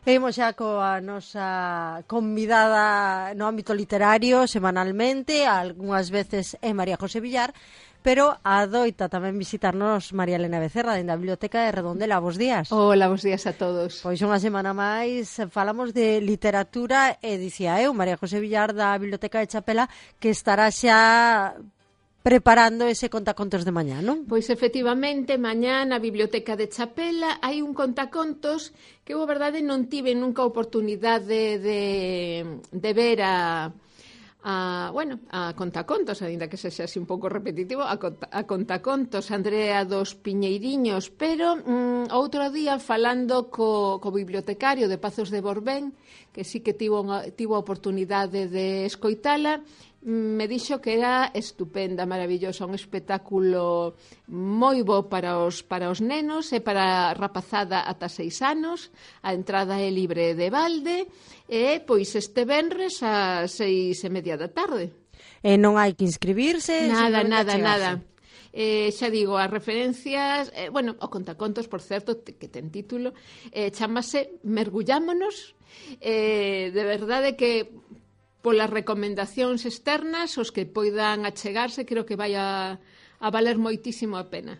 E imos xa coa nosa convidada no ámbito literario semanalmente, algunhas veces é María José Villar, pero adoita tamén visitarnos María Elena Becerra, dende a Biblioteca de Redondela. Bos días. Hola, bos días a todos. Pois unha semana máis falamos de literatura e dicía eu, María José Villar da Biblioteca de Chapela, que estará xa preparando ese contacontos de mañá, non? Pois efectivamente, mañá na Biblioteca de Chapela hai un contacontos que eu, a verdade, non tive nunca a oportunidade de ver a contacontos, aínda que sexa así un pouco repetitivo, a contacontos Andrea dos Piñeiriños, pero outro día falando co bibliotecario de Pazos de Borbén, que sí que tivo a oportunidade de escoitala, me dixo que era estupenda, maravillosa, un espectáculo moi bo para os nenos e para a rapazada ata 6 anos. A entrada é libre de balde e pois este venres ás 6:30 da tarde. E non hai que inscribirse? Nada. Xa digo, as referencias, o contacontos, por certo, que ten título, chamase Mergullámonos, de verdade que polas recomendacións externas, os que poidan achegarse, creo que vai a valer moitísimo a pena.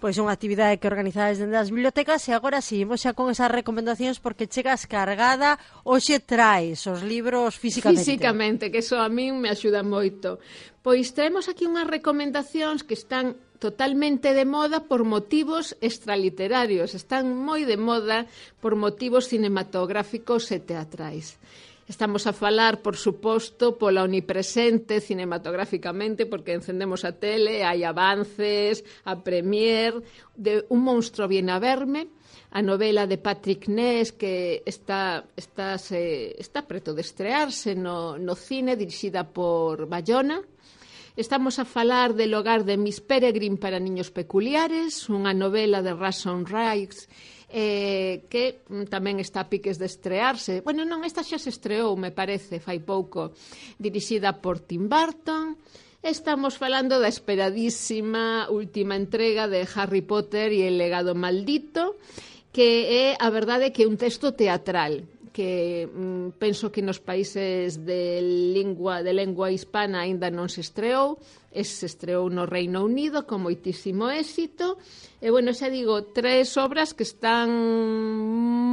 Pois unha actividade que organizades dende as bibliotecas e agora seguimos xa con esas recomendacións porque chegas cargada, hoxe traes os libros físicamente. Físicamente, que iso a min me axuda moito. Pois traemos aquí unhas recomendacións que están totalmente de moda por motivos extraliterarios, están moi de moda por motivos cinematográficos e teatrais. Estamos a falar, por suposto, pola omnipresente cinematográficamente, porque encendemos a tele, hai avances, a premier de Un monstro viene a verme, a novela de Patrick Ness que está preto de estrearse no cine, dirixida por Bayona. Estamos a falar del Hogar de Miss Peregrine para niños peculiares, unha novela de Rashomon Rice que tamén está a piques de estrearse. Bueno, non, esta xa se estreou, me parece, fai pouco, dirixida por Tim Burton. Estamos falando da esperadísima última entrega de Harry Potter e el legado maldito, que é, a verdade, que é un texto teatral, que penso que nos países de lingua hispana aínda non se estreou, se estreou no Reino Unido con moitísimo éxito, e, bueno, xa digo, 3 obras que están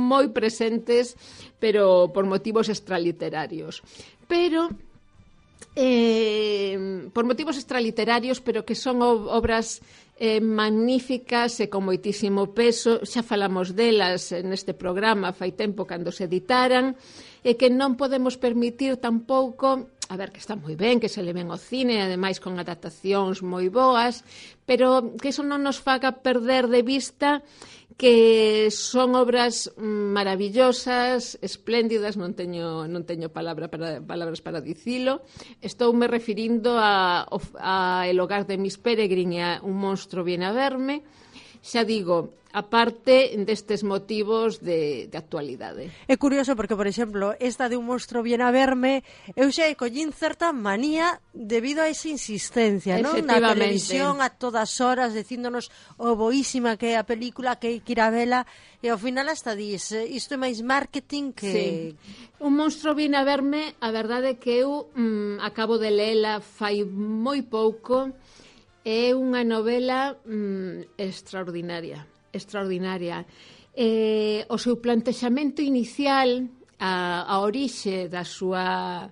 moi presentes, pero por motivos extraliterarios. Pero por motivos extraliterarios, pero que son obras magníficas e con moitísimo peso. Xa falamos delas neste programa fai tempo cando se editaran, e que non podemos permitir tampouco, a ver, que está moi ben que se le ven ao cine, ademais con adaptacións moi boas, pero que iso non nos faga perder de vista que son obras maravillosas, espléndidas, non teño palabras para dicilo. Estoume referindo a El Hogar de Miss Peregrine e a Un monstro viene a verme. Xa digo, aparte destes motivos de actualidade. É curioso porque, por exemplo, esta de Un monstro viene a verme, eu xa collín certa manía debido a esa insistencia, non? Na televisión a todas horas dicíndonos o boísima que é a película, que hai que ir a vela, e ao final hasta dis, isto é máis marketing que... Sí. Un monstro viene a verme, a verdade é que eu acabo de leela fai moi pouco. É unha novela extraordinaria. O seu plantexamento inicial, a orixe da súa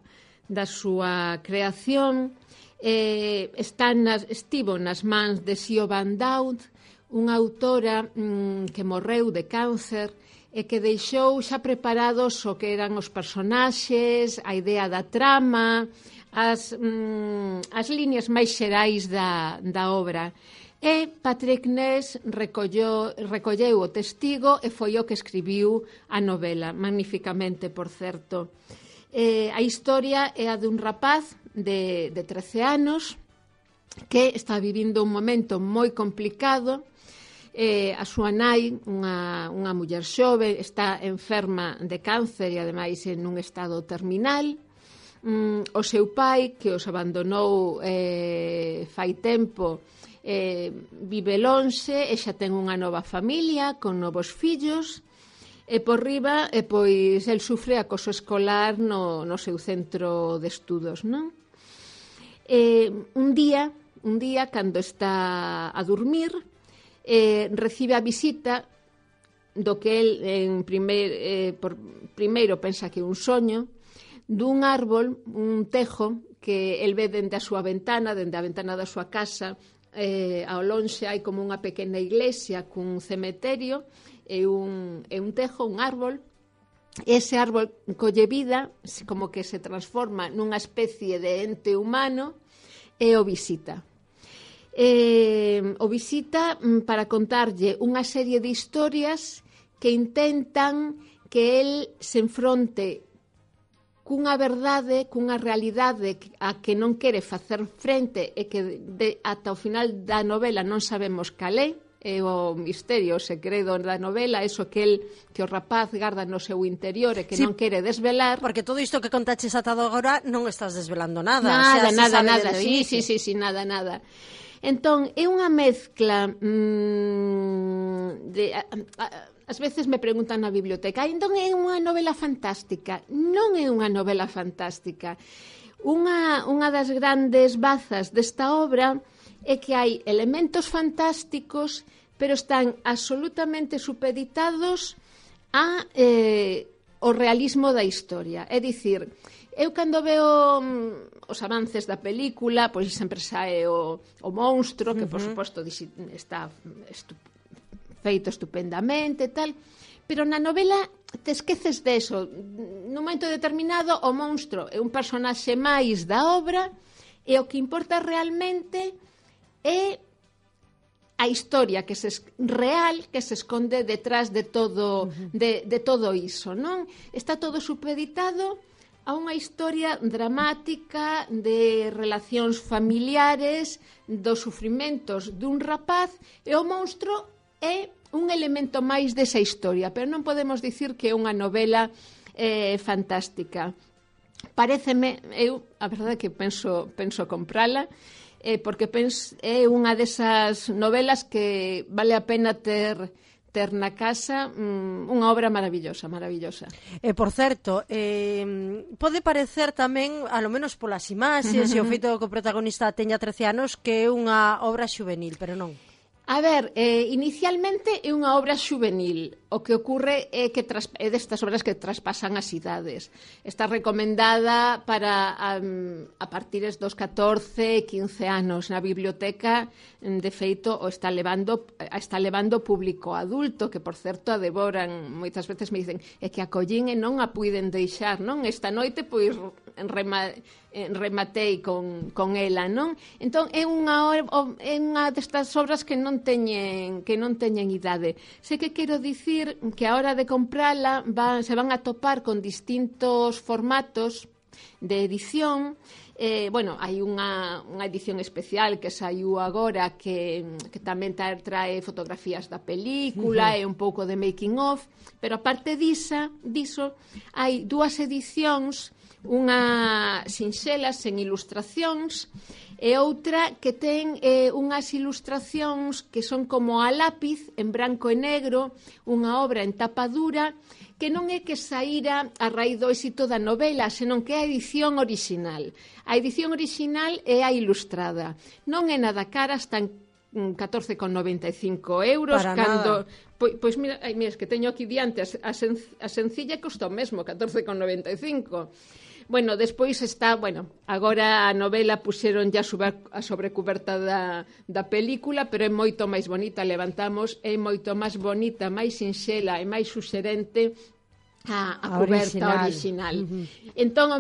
creación, estivo nas mans de Siobhan Dowd, unha autora que morreu de cáncer e que deixou xa preparados o que eran os personaxes, a idea da trama, as líneas máis xerais da obra. E Patrick Ness recolleu o testigo e foi o que escribiu a novela, magníficamente, por certo. A historia é a dun rapaz de 13 anos que está vivindo un momento moi complicado. A súa nai, unha muller xove, está enferma de cáncer e ademais en un estado terminal. O seu pai, que os abandonou fai tempo, vive lonxe e xa ten unha nova familia con novos fillos. E por riba, pois, el sufre acoso escolar no seu centro de estudos, non? Un día, cando está a dormir, recibe a visita do que el primeiro pensa que é un soño, dun árbol, un tejo, que el ve dende a súa ventana, dende a ventana da súa casa. Ao lonxe hai como unha pequena iglesia cun cementerio e un tejo, un árbol. Ese árbol colle vida, como que se transforma nunha especie de ente humano e o visita. O visita para contarlle unha serie de historias que intentan que el se enfronte cunha verdade, cunha realidade a que non quere facer frente e que ata o final da novela non sabemos cal é o misterio, o segredo da novela, eso que o rapaz garda no seu interior e que non quere desvelar. Porque todo isto que contaches ata agora non estás desvelando nada. Nada, sí, nada. Entón, é unha mezcla de... Ás veces me preguntan na biblioteca, entón é unha novela fantástica? Non é unha novela fantástica. Unha das grandes bazas desta obra é que hai elementos fantásticos, pero están absolutamente supeditados ao realismo da historia. É dicir, eu cando veo os avances da película, pois sempre sae o monstro, que por suposto está feito estupendamente, tal, pero na novela te esqueces deso. Nun momento determinado, o monstro é un personaxe máis da obra e o que importa realmente é a historia que real que se esconde detrás de todo de todo iso, non? Está todo supeditado a unha historia dramática de relacións familiares, dos sufrimentos dun rapaz, e o monstro é un elemento máis desa historia, pero non podemos dicir que é unha novela fantástica. Paréceme, a verdade é que penso comprala, porque é unha desas novelas que vale a pena ter na casa, unha obra maravillosa. Por certo, pode parecer tamén, a lo menos polas imaxes e o feito que o protagonista teña 13 anos, que é unha obra xuvenil, pero non. A ver, inicialmente é unha obra xuvenil. O que ocorre é que é destas obras que traspasan as idades. Está recomendada para a partires dos 14, 15 anos. Na biblioteca, de feito, o está levando público adulto, que, por certo, a devoran. Moitas veces me dicen é que a collín e non a puiden deixar, non? Esta noite, pois, rematei con ela, non? Entón, é unha destas obras que non teñen idade. Sei que quero dicir que a hora de comprala se van a topar con distintos formatos de edición. Hai unha edición especial que saiu agora que tamén trae fotografías da película e un pouco de making of, pero aparte diso hai dúas edicións, unha sinxela sen ilustracións e outra que ten unhas ilustracións que son como a lápiz en branco e negro, unha obra en tapa dura que non é que saíra a raíz do éxito da novela, senón que é a edición original. A edición original é a ilustrada. Non é nada cara, están 14,95 euros. Para nada. Pois mira, es que teño aquí diante a sencilla costa o mesmo, 14,95. Bueno, despois está, agora a novela puxeron ya a sobrecuberta da película, pero é moito máis bonita, levantamos, é moito máis bonita, máis sinxela e máis suxerente a cuberta original. Entón,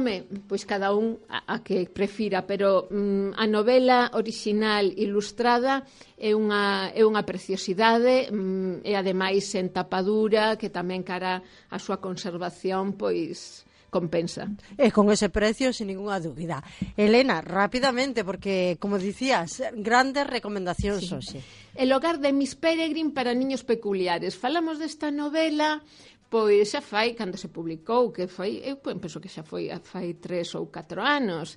pois cada un a que prefira, pero a novela original ilustrada é unha preciosidade e ademais en tapadura, que tamén cara a súa conservación, pois compensa. E con ese precio, sin ninguna dúbida. Elena, rápidamente, porque, como dicías, grandes recomendacións hoxe. El hogar de Miss Peregrine para niños peculiares. Falamos desta novela, pois xa fai, cando se publicou, que foi, eu penso que xa foi fai 3 ou 4 anos.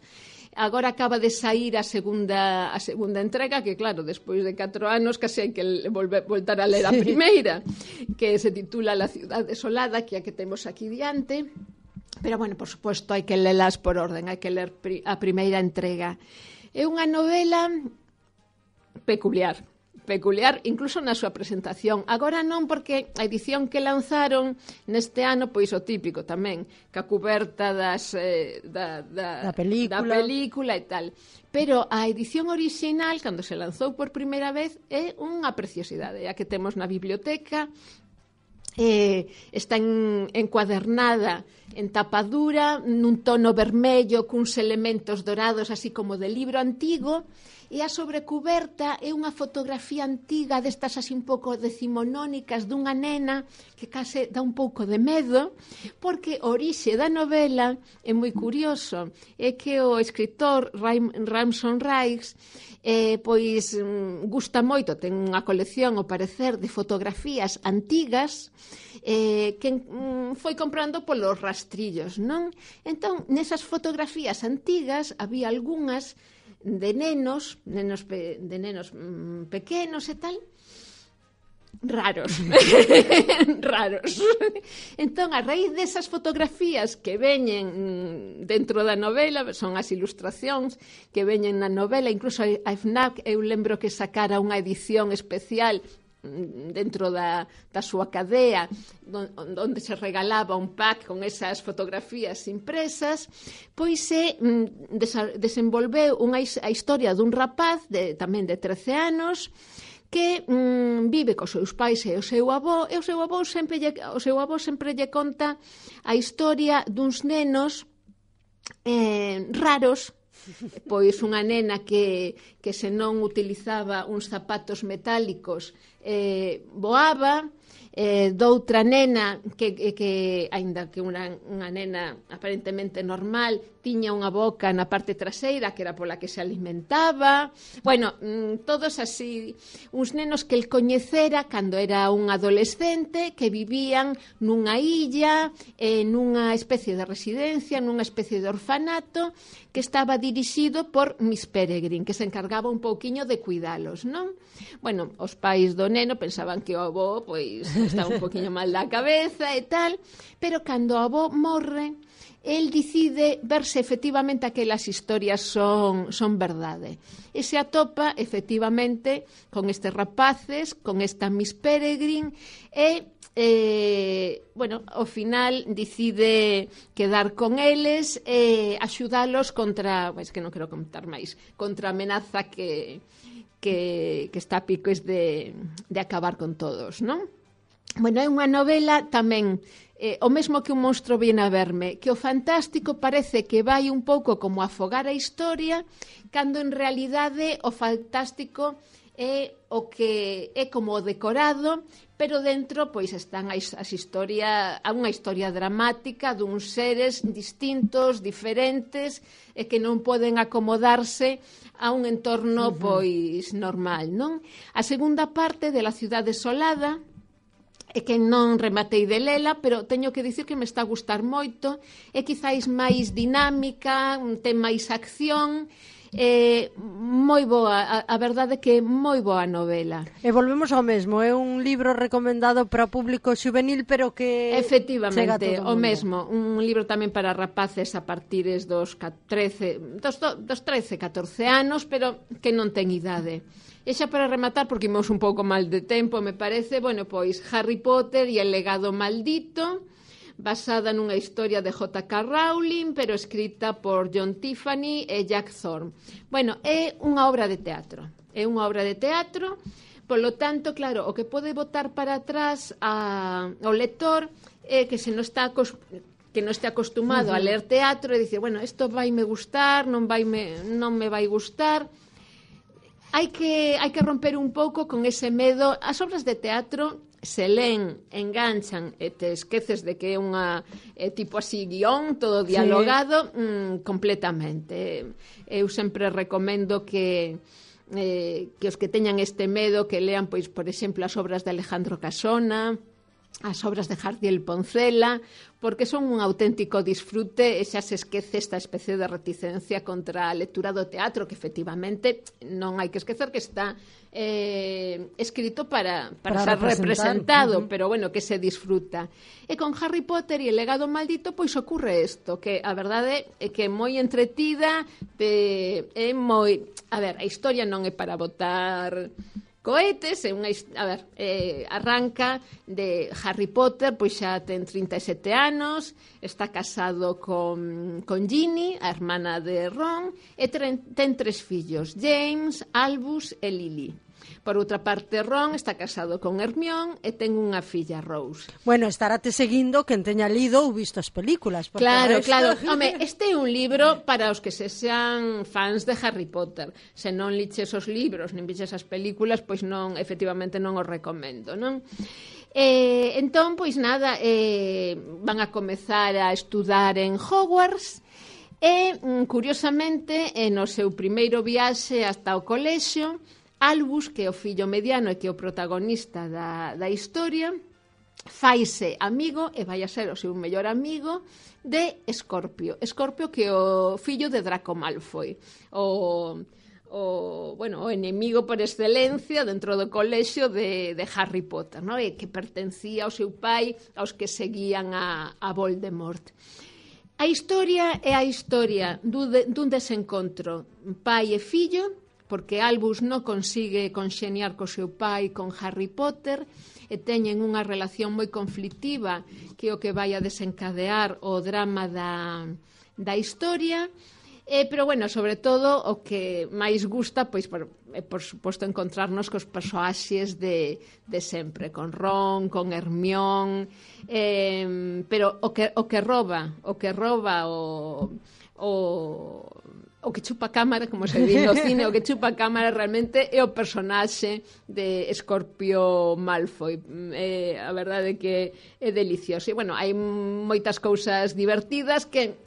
Agora acaba de sair a segunda entrega, que claro, despois de 4 anos case hai que voltar a ler a primeira. que se titula La ciudad desolada, que é a que temos aquí diante. Pero, bueno, por suposto, hai que lelas por orden, hai que ler a primeira entrega. É unha novela peculiar, incluso na súa presentación. Agora non, porque a edición que lanzaron neste ano, pois o típico tamén, que a cuberta da película e tal. Pero a edición original, cando se lanzou por primeira vez, é unha preciosidade, a que temos na biblioteca. Está encuadernada en tapa dura, nun tono vermello, cuns elementos dorados, así como de libro antigo, e a sobrecuberta é unha fotografía antiga destas así un pouco decimonónicas dunha nena que case dá un pouco de medo, porque o orixe da novela é moi curioso, é que o escritor Ramson Riggs pois gusta moito, ten unha colección, ao parecer, de fotografías antigas que foi comprando polos rastrillos, non? Entón, nesas fotografías antigas había algunhas de nenos pequenos e tal, raros. Entón, a raíz desas fotografías que veñen dentro da novela, son as ilustracións que veñen na novela, incluso a FNAC, eu lembro que sacara unha edición especial dentro da súa cadea, onde se regalaba un pack con esas fotografías impresas, pois se desenvolveu a historia dun rapaz tamén de 13 anos que vive cos seus pais e o seu avó, e o seu avó sempre lle conta a historia duns nenos raros, pois unha nena que se non utilizaba uns zapatos metálicos voaba, doutra nena que aínda que unha nena aparentemente normal, tiña unha boca na parte traseira que era pola que se alimentaba. Bueno, todos así, uns nenos que el coñecera cando era un adolescente, que vivían nunha illa, nunha especie de residencia, nunha especie de orfanato, que estaba dirixido por Miss Peregrine, que se encargaba un pouquiño de cuidalos, non? Bueno, os pais do neno pensaban que o avó pois estaba un pouquiño mal da cabeza e tal, pero cando o avó morre, el decide verse efectivamente aquelas historias son verdade. E se atopa efectivamente con estes rapaces, con esta Miss Peregrine e bueno, ao final decide quedar con eles e axudalos contra, pois que non quero contar máis, contra a amenaza que está a piques de acabar con todos, non? Bueno, é unha novela tamén o mesmo que Un monstro viene a verme, que o fantástico parece que vai un pouco como afogar a historia, cando en realidade o fantástico é o que é como o decorado, pero dentro pois están unha historia dramática duns seres distintos, diferentes, e que non poden acomodarse a un entorno pois normal, non? A segunda parte de La ciudad desolada, é que non rematei de lela, pero teño que dicir que me está a gustar moito, é quizáis máis dinámica, ten máis acción, moi boa, a verdade é que é moi boa novela. E volvemos ao mesmo, é un libro recomendado para público xuvenil, pero que efectivamente, o mesmo, un libro tamén para rapaces a partires dos 13, 14 anos, pero que non ten idade. E xa para rematar, porque imos un pouco mal de tempo, me parece, bueno, pois Harry Potter e el legado maldito, basada nunha historia de J.K. Rowling, pero escrita por John Tiffany e Jack Thorne. Bueno, é unha obra de teatro. Polo tanto, claro, o que pode botar para atrás ao lector é que se non está que non este acostumado a ler teatro e dicir, bueno, isto vaime gustar, non me vai gustar. Hai que romper un pouco con ese medo. As obras de teatro se len, enganchan e te esqueces de que é unha tipo así guión, todo dialogado, completamente. Eu sempre recomendo que os que teñan este medo que lean, pois, por exemplo, as obras de Alejandro Casona, as obras de Jardiel Poncela, porque son un auténtico disfrute e xa se esquece esta especie de reticencia contra a lectura do teatro, que efectivamente non hai que esquecer que está escrito para ser representado, pero bueno, que se disfruta. E con Harry Potter e el legado maldito, pois ocurre isto, que a verdade é que é moi entretida, é moi... A ver, a historia non é para botar cohetes, arranca de Harry Potter, pois xa ten 37 anos, está casado con Ginny, a hermana de Ron, e ten 3 fillos, James, Albus e Lily. Por outra parte, Ron está casado con Hermione e ten unha filla, Rose. Bueno, estarate seguindo quen teña lido ou visto as películas. Claro. Home, este é un libro para os que se sean fans de Harry Potter. Se non liches os libros, nin viches as películas, pois non, efectivamente non os recomendo, non? Entón, pois nada, van a comezar a estudar en Hogwarts e, curiosamente, no seu primeiro viaxe hasta o colexio, Albus, que é o fillo mediano e que é o protagonista da historia, faise amigo e vai a ser o seu mellor amigo de Escorpio. Escorpio, que é o fillo de Draco Malfoy, o enemigo por excelencia dentro do colexio de Harry Potter, ¿no? E que pertencía ao seu pai, aos que seguían a Voldemort. A historia é a historia dun desencontro pai e fillo, porque Albus non consigue conxeniar co seu pai con Harry Potter e teñen unha relación moi conflictiva que é o que vai a desencadear o drama da historia. Pero, bueno, sobre todo, o que máis gusta, pois, por suposto, encontrarnos cos persoaxes de sempre, con Ron, con Hermione, pero o que roba o que chupa cámara, como se di no cine, o que chupa cámara realmente é o personaxe de Escorpio Malfoy. A verdade é que é delicioso. E, bueno, hai moitas cousas divertidas que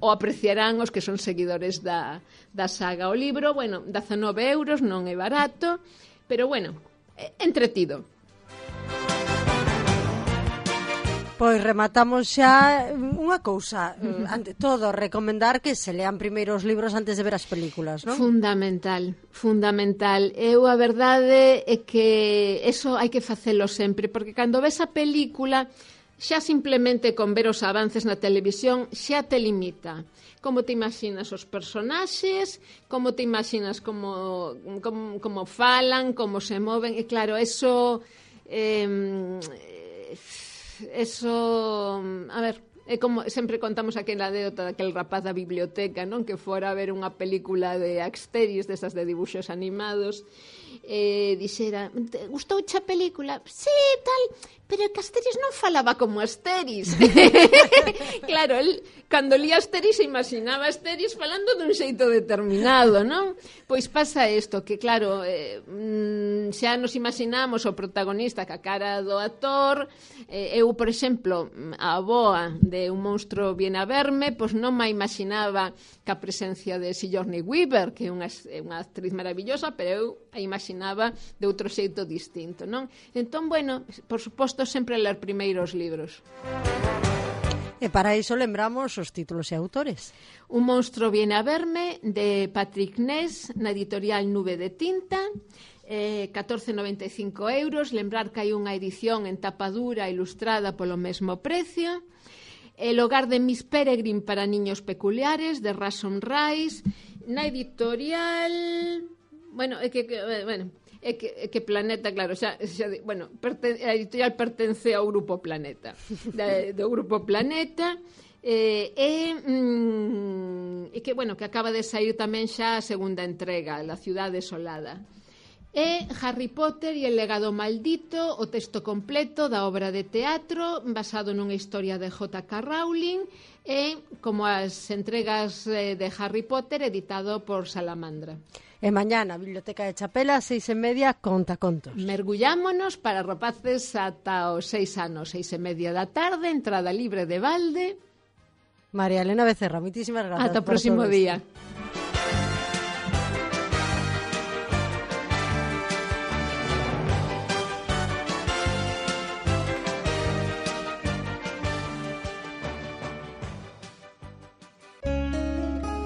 o apreciarán os que son seguidores da saga. O libro, bueno, 19 €, non é barato, pero, bueno, entretido. Pois rematamos xa unha cousa, ante todo, recomendar que se lean primeiro os libros antes de ver as películas, non? Fundamental. Eu a verdade é que eso hai que facelo sempre, porque cando ves a película, xa simplemente con ver os avances na televisión xa te limita. Como te imaginas os personaxes, como te imaginas como falan, como se moven, e claro, eso, a ver, é como sempre contamos aquela anécdota daquel rapaz da biblioteca, non? Que fora a ver unha película de Asterix, desas de dibuxos animados, dixera, gustouche a película? Sí, tal, pero que Asterix non falaba como Asterix. Claro, el, cando lía Asterix, imaginaba Asterix falando dun xeito determinado, non? Pois pasa isto, que claro, xa nos imaginamos o protagonista ca cara do actor. Eu, por exemplo, a avoa de Un monstro viene a verme, pois non me imaginaba ca presencia de Sigourney Weaver, que é unha actriz maravillosa, pero eu a imaginaba de outro xeito distinto, non? Entón, bueno, por suposto, sempre ler primeiro os libros. E para iso lembramos os títulos e autores. Un monstro viene a verme, de Patrick Ness, na editorial Nube de Tinta, 14,95 €. Lembrar que hai unha edición en tapa dura ilustrada polo mesmo precio. El hogar de Miss Peregrine para niños peculiares, de Rason Rice, na editorial... Bueno, é que Planeta, claro, a editorial pertence ao Grupo Planeta, do Grupo Planeta, e que, bueno, que acaba de sair tamén xa a segunda entrega, La ciudad desolada. E Harry Potter e el legado maldito, o texto completo da obra de teatro basado nunha historia de J.K. Rowling, e como as entregas de Harry Potter, editado por Salamandra. E mañá na Biblioteca de Chapela, 6:30, Contacontos. Mergullámonos para rapaces ata os 6 anos, 6:30 da tarde, entrada libre de balde. María Elena Becerra, moitísimas grazas. Ata o próximo día.